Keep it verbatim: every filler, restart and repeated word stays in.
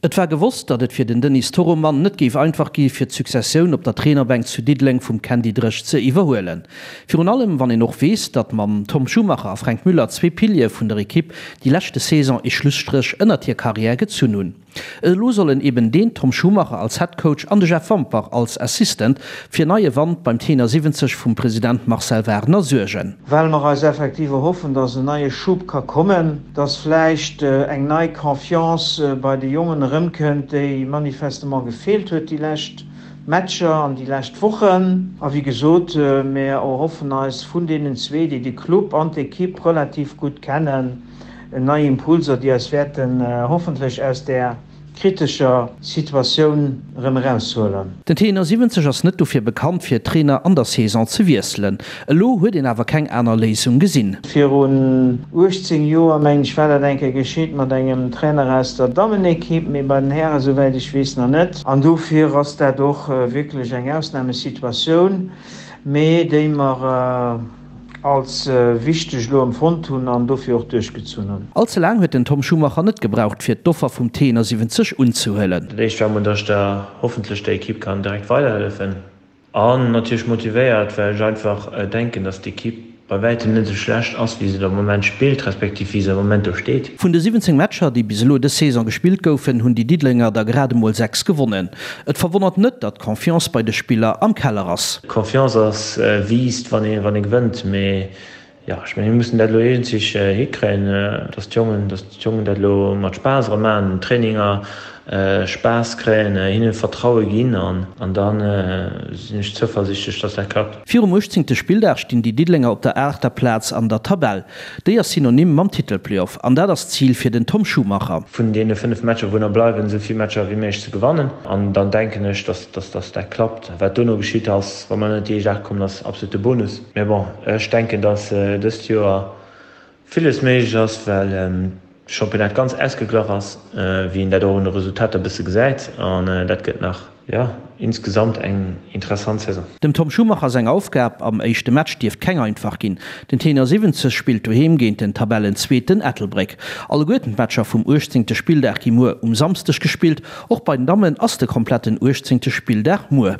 Et war gewosst, datt et fir den Denis Toroman net géif einfach gi fir d'Successioun op der Trainerbänk zu Diddeleng vum Candy Dresch ze iwwerhuelen. Virun allem wann een och weess, datt mam Tom Schumacher a Fränk Müller zwee Piliere vun der Ekipp déi leschte Saison ee Schlusstréch ënnert hir Karriär gezunn hunn. Elo sollen eben den Tom Schumacher als Headcoach an de Jeff Wampach als Assistant fir neie Wand beim Tenor siwwenzeg vum President Marcel Wagner suergen. Well mer eis effektiv erhoffen, dass en neie Schub ka kommen, dass vläicht eng nei Confiance bei de Jongen erëmkënnt, déi manifestement gefeelt huet déi lescht Matcher an déi lescht Wochen. A wéi gesot, mir erhoffen eis vun deenen zwee, déi de Club an d'Ekipp relativ gutt kennen, nei Impulser, déi eis wäerten hoffentlech aus där kritescher Situatioun erëm eraushuelen. Den Tenor siwwenzeg ass net dofir bekannt, fir Trainer an der Saison ze wiesselen. Elo huet een awer keng aner Léisung gesinn. Virun uechtzéng Joer, mengen ech, war dat eng Kéier geschitt mat engem Trainer aus der Dammenekipp, mee bei den Hären, souwäit ech weess, nach net. An dofir ass dat och wierklech eng Ausnamesituatioun, mee déi mer als wichteg elo empfonnt hunn an dofir och duerchgezunn hunn. All ze laang huet den Tom Schumacher net gebraucht, fir d'Offer vum Tenor siwwenzeg unzehuelen. Dat éischt war emol, datt ech der hoffentlech der Ekipp kann direkt weiderhëllefen an natierlech motivéiert, well ech einfach denken, datt d'Ekipp bei wäitem net esou schlecht ass, wéi se de Moment spillt, respektiv wéi se am Moment do steet. Vun de siwwenzéng Matcher, déi bis elo dës Saison gespillt goufen, hunn déi Diddelenger der grad emol sechs gewonnen. Et verwonnert net, datt d'Confiance bei de Spiller am Keller ass. D'Confiance ass wiisst, wann ee wann ee gewënnt, mee jo, ech mengen, mir mussen dat elo iergendwéi hikréien, datt d'Jongen, datt d'Jongen dat elo mat Spaass erëm maachen, Traininger Spaass kréien, hinne Vertraue ginn an an da sinn ech zouversiichtlech, datt dat klappt. Virum uechtzéngte Spilldag stinn déi Diddelenger op der aachter Plaz an der Tabell. Déi ass synonym mam Titelplayoff an dat ass d'Zil fir den Tom Schumacher. Vun deene fënnef Matcher, wou nach bleiwen, esou vill Matcher wéi méiglech ze gewannen. An dann denken ech, datt datt dat klappt. Wat dono geschitt ass, wa mer ënnert déi éischt Aacht kommen, ass absolute Bonus. Mä bon, ech denken, datt dëst Joer villes méiglech ass, well de Championnat ganz ausgeglach ass, wéi een dat och un de Resultater e bësse gesäit. An dat gëtt nach, jo, insgesamt eng interessant Saison. Dem Tom Schumacher seng Aufgab am éischte Match dierft keng einfach ginn. Den Tenor siwwenzeg spillt doheem géint den Tabellenzweeten Ettelbréck. Alleguerten d'Matcher vum uechtzéngte Spilldag gi muer um Samsdeg gespillt. Och bei den Dammen ass de kompletten uechtzéngte Spilldag muer.